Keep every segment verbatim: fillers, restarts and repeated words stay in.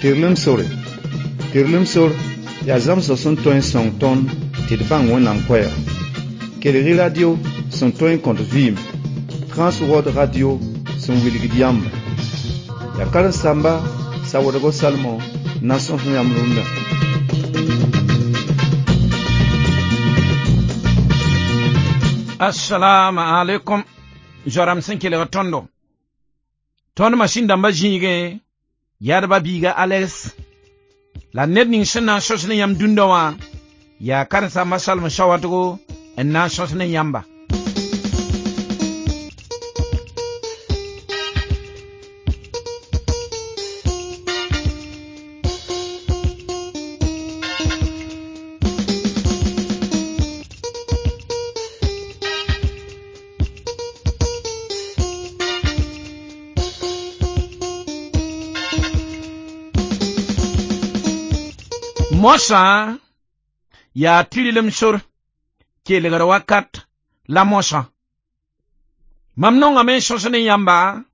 Tɩrlem sore. Tɩrlem sor yaa zãmsg sẽn tõe n sõng tõnd tɩ d bãng Wẽnnaam koɛɛga. Kelg-y radio sẽn tõe n kõt vɩɩm, Transworld Radio sẽn wilgd yãmba. Yaa karen-saamba Sawoodgo Salmon n na n sõs yãmb rũndã. Assalamu alaikum. Zoram sẽn kelg tõndo. Tõnd masĩn dãmbã zĩigẽ yadba biiga Alex la ned ning sẽn na n sõs ne yãmb dũndã wã yaa karen-saamba Salmon Sawadgo n na n sõs ne yãmba. Moasã yaa tɩrlem sor kelgr wakat la moasã. Mam nongame n sõs ne yãmba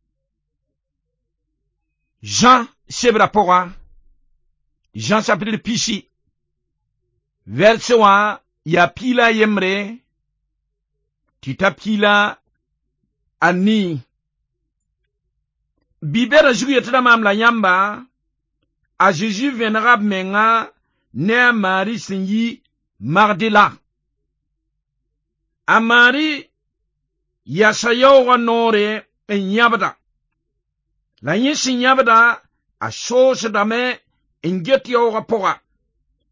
Jean sebrã pʋga, Jean chapitre pisi, verse wã yaa piila a yembre tɩ ta piila a nii. Bi-bɛda zug yetɩ maam la yãmba a Zeezi vẽnega b menga ne a Maari sẽn yi Magdala. A Maari yasa yaoogã noore n yãbda. La yẽ sẽn yãbda, a soosdame n get yaoogã pʋga.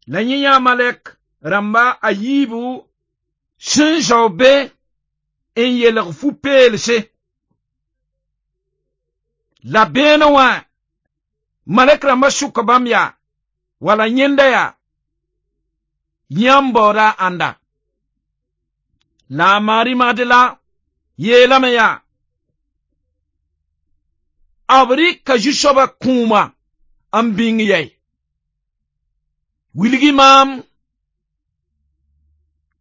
La yẽ yãa malɛk rãmba a yiibu sẽn zao be n yelg fu-peelse. La beene wã malɛk rãmbã sʋka bãmb yaa wala yẽnda yaa yãmb baooda a ãnda. La a Maari Magdala yeelame yaa b rɩka zu-soabã kũuma n bĩng yɛi. Wilg-y maam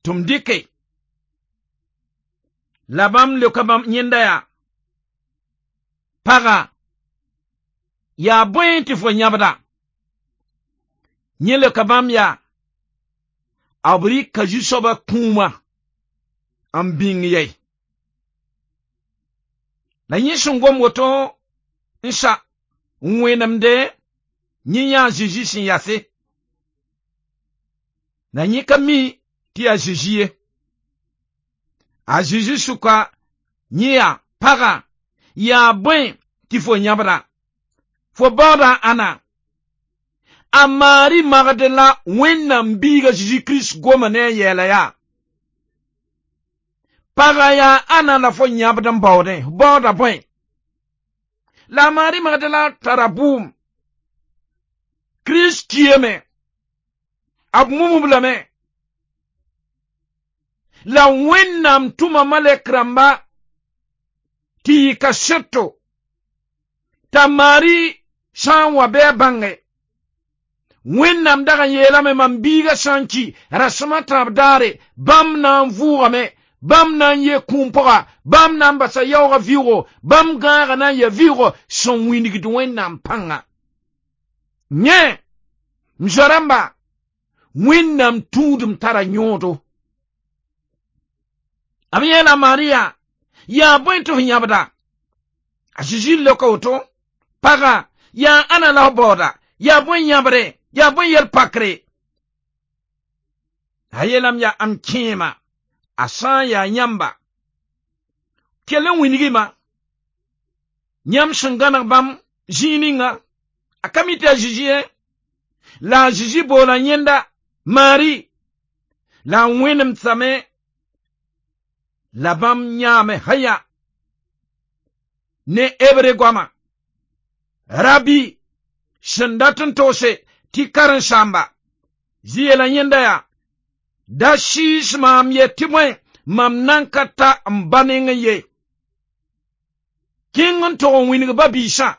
tɩ m dɩke. La bãmb leoka bãmb yẽnda yaa paga yaa bõe tɩ fo yãbda. Yẽ leoka bãmb yaa b rɩka zu-soabã kũuma n bĩng yɛi. La yẽ sẽn gom woto n sa n wẽnemde yẽ yãa Zeezi sẽn yase. La yẽ ka mi tɩ yaa Zeezi ye. A Zeezi sʋka yẽ yaa paga yaa bõe tɩ fo yãbda. Fo baooda ãna. A Maari Magdala Wẽnnaam biiga Zeezi Kirist goma ne a yɛɛla yaa paga yaa ãna la fo yãbd n baoodẽ, baooda bõe. La a Maari Magdala tara bʋʋm. Kirist kiame, b mumb lame. La Wẽnnaam tʋma malɛk rãmba tɩ yɩ kaseto t'a Maari sã n wa bɩ a bãnge. Wẽnnaam dag n yeelame mam biiga sã n ki rasem a tãab daare bãmb na n vʋʋgame, bãmb na n yee kũum pʋga, bãmb na n basa yaoogã vɩʋʋgo, bãmb gãagã na n yaa vɩʋʋgo sẽn wĩnigd Wẽnnaam pãnga. Yẽ, m zoa-rãmba, Wẽnnaam tũudem tara yõodo. B yeela Maari yaa yaa bõe tɩ f yãbda. A Zeezi leoka woto paga yaa ãna la f baooda, yaa bõe yãbre, yaa bõe yɛl-pakre. A yeelame yaa m kẽema a sã n yaa yãmba kell n wilg-y-ma yãmb sẽn gãneg bãmb zĩig ninga a ka mi tɩ a Zeezi ye. La a Zeezi boola yẽnda Maari la a wẽnemsame la bãmb yãame haya ne hebre goama Rabi sẽn dat n togse tɩ karen-saamba zĩ yeela yẽnda yaa da sɩɩs maam ye tɩ bõe mam nan ka ta n ba nengẽ ye. Kẽng n tog n wĩneg ba-biisã,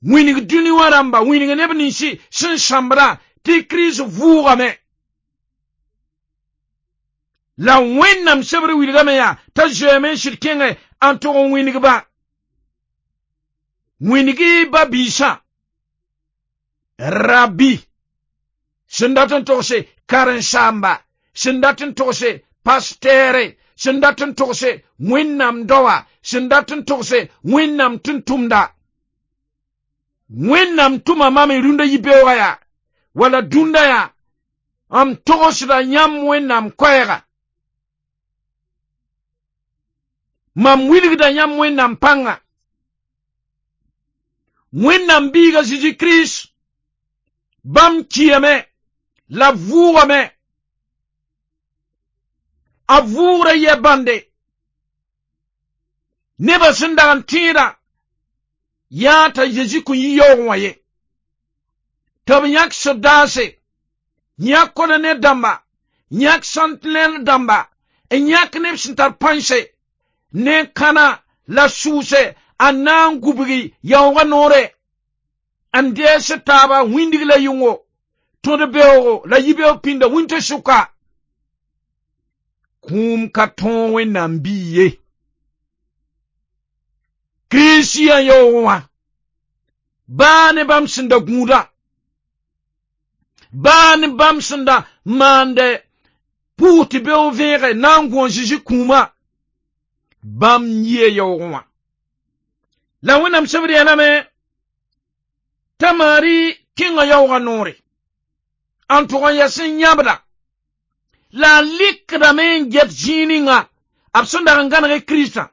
wĩneg dũni wã rãmba, wĩneg neb ninsi sẽn sãmbdã tɩ Kirist vʋʋgame. La Wẽnnaam sebr wilgame yaa t'a zoeeme n sɩd kẽngẽ n tog n wĩneg-ba. Wĩneg-y ba-biisã Rabbi sẽn dat n togse karen-saamba sẽn dat n togse pastere sẽn dat n togse Wẽnnaam daoa sẽn dat n togse Wẽnnaam tʋm-tʋmda Wẽnnaam tʋma mam y rũndã yibeoogã yaa wala dũnda yaa m togsda yãmb Wẽnnaam koɛɛga mam wilgda yãmb Wẽnnaam pãnga Wẽnnaam biiga Zeezi Kirist bãmb kiame la vʋʋgame a vʋʋgra yɛ bãnde nebã sẽn dag n tẽeda yaa t'a Zeezi kõn yi yaoogẽ wã ye tɩ b yãk sodaase yãk kolonɛl dãmba yãk sentinɛl dãmba n yãk neb sẽn tar pãnse ne kãna la sʋʋse a na n gubgi yaoogã noore n dees taaba wĩndg la yʋngo tõd beoogo la yibeoog pĩnda wĩntã sʋka kũum ka tõog Wẽnnaam bii ye Kirist yaa yaoogẽ wã baa ne bãmb sẽn da gũudã baa ne bãmb sẽn da maande pʋʋs tɩ beoog vẽege na n gũ a Zeezi kũumã bãmb yia yaoogẽ wã la Wẽnnaam sebd yeelame t'a Maari kẽnga yaoogã noore n tʋg n yɛs n yãbda la a likdame n get zĩig ninga b sẽn dag n gãneg Kiristã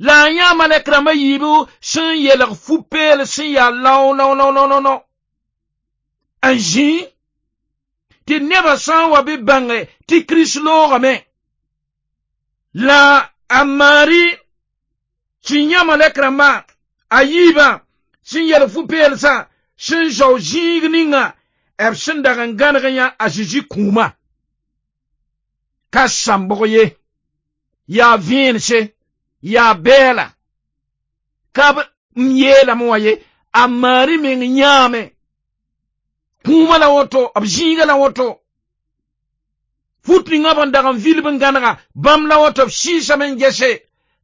la a yã malɛk rãmbã yiibu sẽn yelg fu-peel sẽn yaa lao lao lao lao lao n zĩ tɩ nebã sã n wa bɩ bãnge tɩ Kirist loogame la a Maari sẽn yã malɛk rãmbã a yiibã sẽn yelg fu-peelsã sẽn zao zĩig ninga b sẽn dag n gãneg yã a Zeezi kũumã ka sãmbg ye yaa vẽense yaa bɛɛla ka b n yeelame wã ye a Maari meng yãame kũumã la woto b zĩigã la woto fut ninga b n dag n vilb n gãnega bãmb la woto b sɩɩsame n gese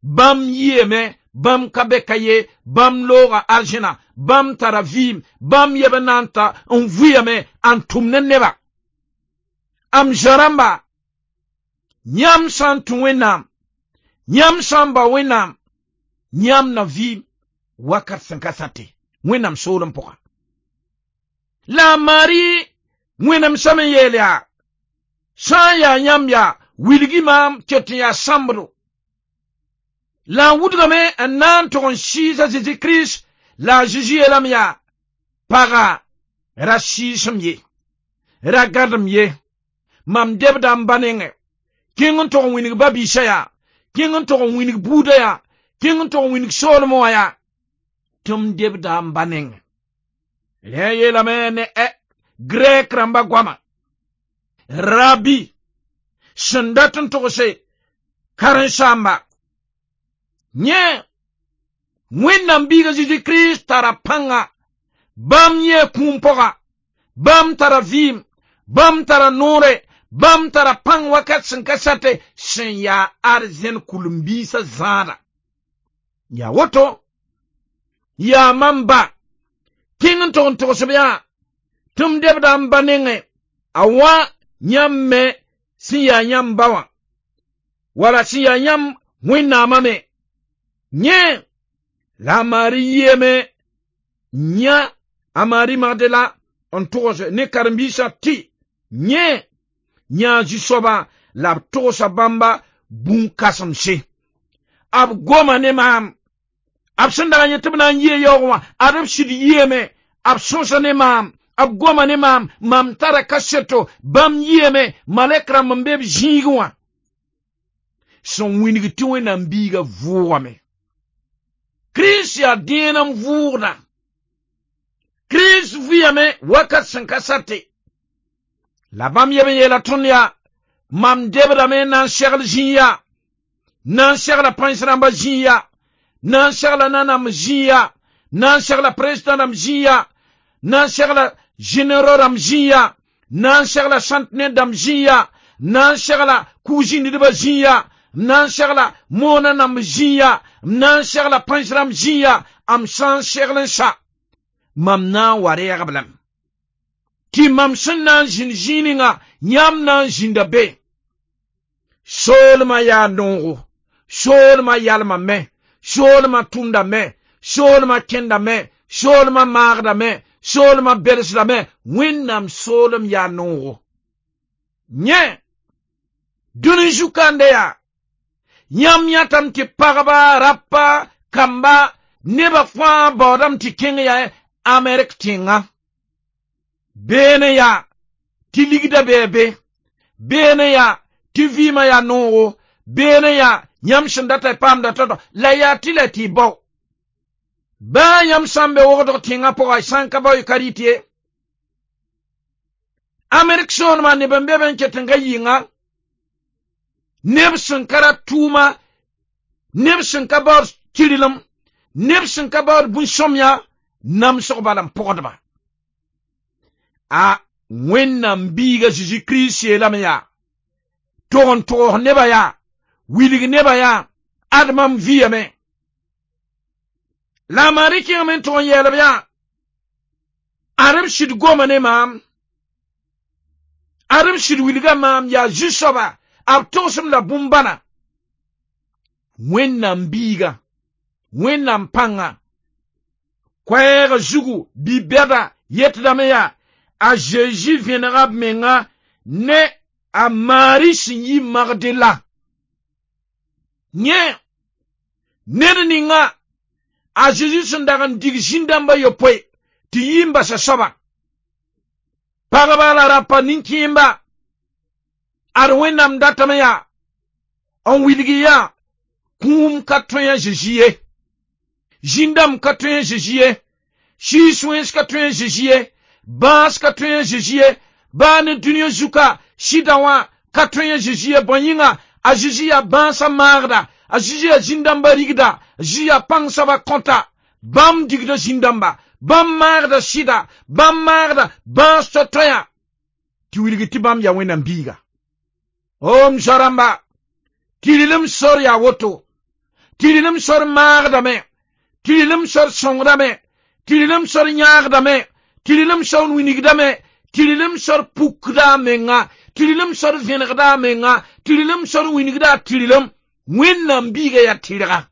bãmb yiame bãmb ka be ka ye bãmb looga arzẽna bãmb tara vɩɩm bãmb yeb n na n ta n vʋyame n tʋm ne neba am zã-rãmba yãmb sã n tũ Wẽnnaam yãmb sã n bao Wẽnnaam yãmb na vɩɩm wakat sẽn ka sate Wẽnnaam soolem pʋga la a Maari Wẽnnaam sã n yeel yaa sã n yaa yãmb yaa wilgi maam ket n yaa sãmbdo la n wudgame n na n tʋg n sɩɩs a Zeezi Kirist la a Zeezi yeelame yaa paga ra sɩɩsem ye ra gãdem ye mam debda n ba nengẽ kẽng n tʋg n wĩnig ba-biisã yaa kẽng n tʋg n wĩnig buudã yaa kẽng n tʋg n wĩnig soolmẽ wã yaa tɩ m debda n ba nengẽ rẽ yeelame ne grɛk rãmba goama Rabbi sẽn dat n togse karen-saamba yẽ Wẽnnaam biiga Zeezi Kirist tara pãnga bãmb yẽ kũum pʋga bãmb tara vɩɩm bãmb tara noore bãmb tara pãng wakat sẽn ka sate sẽn yaa arzẽn kʋlem-biisã zãada yaa woto yaa mam ba kẽng n tog n togsb yaa tɩ m debda n ba nengẽ a wã yãmb me sẽn yaa yãmb ba wã wala sẽn yaa yãmb Wẽnnaamã me yẽ la a Maari yiame yã a Maari Magdala n togs ne karen-biisã tɩ yẽ yãa zu-soabã la b togsa bãmba bũn-kãsemse b goma ne maam b sẽn dag n yẽ tɩ b na n yia yaoogẽ wã ad b sɩd yiame b sõsa ne maam b goma ne maam mam tara kaseto bãmb yiame malɛk rãmb n be b zĩigẽ wã sẽn wĩnig tɩ Wẽnnaam biiga vʋʋgame Kirist yaa dẽen n vʋʋgda Kirist vɩyame wakat sẽn ka sate la bãmb yeb n yeela tõnd yaa mam debdame n na n segl zĩig yaa na n segla pãens rãmbã zĩig yaa na n segla nanam zĩig yaa na n segla président rãmb zĩig yaa na n segla généraux rãmb zĩig yaa na n segla sentinelle dãmb zĩig yaa na n segla kug-zĩndidbã zĩig yaa na n segla moonã nãmb zĩig yaa na n segla pãens rãmb zĩig yaa m sã n segl n sa mam na n wa reegb lame Tɩ mam sẽn na n zĩnd zĩig ninga yãmb na n zĩnda be. Soolmã yaa noogo, soolmã yalmame, soolmã tʋmdame, soolmã kẽndame, soolmã maagdame, soolmã belsdame, Wẽnnaam soolem yaa noogo. Yẽ, dũni zu-kãnde yaa, yãmb yãtame tɩ pagba, rapa, kamba, nebã fãa baoodame tɩ kẽng yaa Amerik tẽnga. Beene yaa tɩ ligda bee be, beene yaa tɩ vɩɩmã yaa noogo, beene yaa yãmb sẽn data y paamda tao-tao, la yaa tɩ la tɩ y bao. Baa yãmb sã n be wogdg tẽngã pʋga y sã n ka bao y ka rɩt ye. Amerik soolmã neb n be be n ket n ga yɩnga, neb sẽn ka rat tʋʋma, neb sẽn ka baood tɩrlem, neb sẽn ka baood bũn-sõmyã, namsg bala n pʋgdba. A Wẽnnaam biiga Zeezi Kirist yeelame yaa, tog n togs nebã yaa, wilg nebã yaa, ad mam vɩyame. La a Mari kẽngame n tog n yɛɛlb yaa, ad b sɩd goma ne maam, ad b sɩd wilga maam yaa zu-soaba, b togsem la bũmb-bãna. Wẽnnaam biiga, Wẽnnaam pãnga, koɛɛg zugu bi-bɛda yetdame yaa, a Zeezi vẽnega b menga ne a Mari sẽn yi Magdela. Yẽ, ned ninga a Zeezi sẽn dag n dig zĩn-dãmba yopoe tɩ yi n basa soaba. Pagba la rapa nin-kẽemba, ad Wẽnnaam datame yaa, n wilg yaa, kũum ka tõe a Zeezi ye, zĩn-dãmb ka tõe a Zeezi ye, sɩɩs wẽns ka tõe a Zeezi ye, bãas ka tõe a Zeezi ye, baa ne dũniyã zuka sɩda wã ka tõe a Zeezi ye. Bõe yĩnga a Zeezi yaa bãasã maagda, a Zeezi yaa zĩn-dãmbã rigda, a Zeezi yaa pãng soabã kõta. Bãmb digda zĩn-dãmba, bãmb maagda sɩda, bãmb maagda bãas to-toɛã, tɩ wilg tɩ bãmb yaa Wẽnnaam biiga. O m zoa-rãmba, tɩrlem sor yaa woto, tɩrlem sor maagdame, tɩrlem sor sõngdame, tɩrlem sor yãagdame, tɩrlem sor wingdame, tɩrlem sor pukda a menga, tɩrlem sor vẽnegda a menga, tɩrlem sor wingda a tɩrlem. Wẽnnaam biiga yaa tɩrga,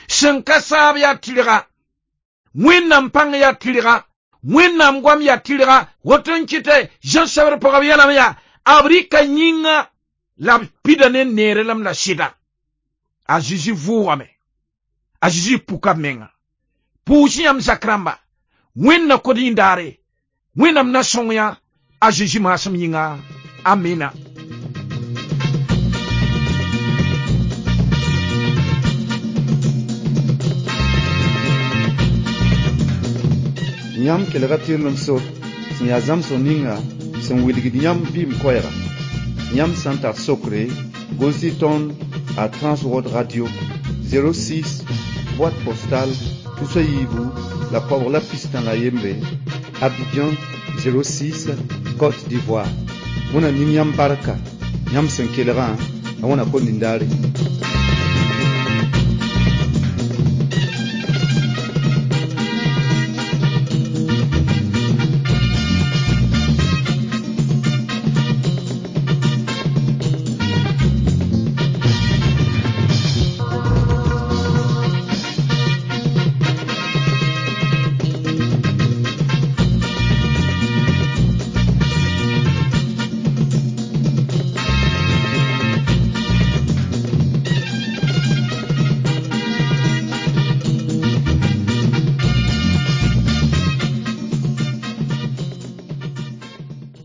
sẽn ka saab yaa tɩrga, Wẽnnaam pãng yaa tɩrga, Wẽnnaam goam yaa tɩrga. Woto n kɩtɛ Zã sebr pʋgã b yeelame yaa, b rɩka yĩnga la b pida ne neerelem la sɩda. A Zeezi vʋʋgame, a Zeezi puka b menga. Pʋʋs yãmb zak rãmba, Wẽnd na kod yĩndaare, Wẽnnaam na sõng yã a Zeezi maasem yĩnga. Amina. Yãmb kelga tɩrlem sor sẽn yaa zãmsg ninga sẽn wilgd yãmb vɩɩm koɛɛga. Yãmb sã n tar sokre, gʋls-y tõnd a Transworld Radio zéro six, boîte postale tus a yiibu la koabg la pistã la yembre, Abidjan zéro six, Côte d'Ivoire. Wẽnnaam ning yãmb barka, yãmb sẽn kelgã, la Wẽnnaam kõn nindaare.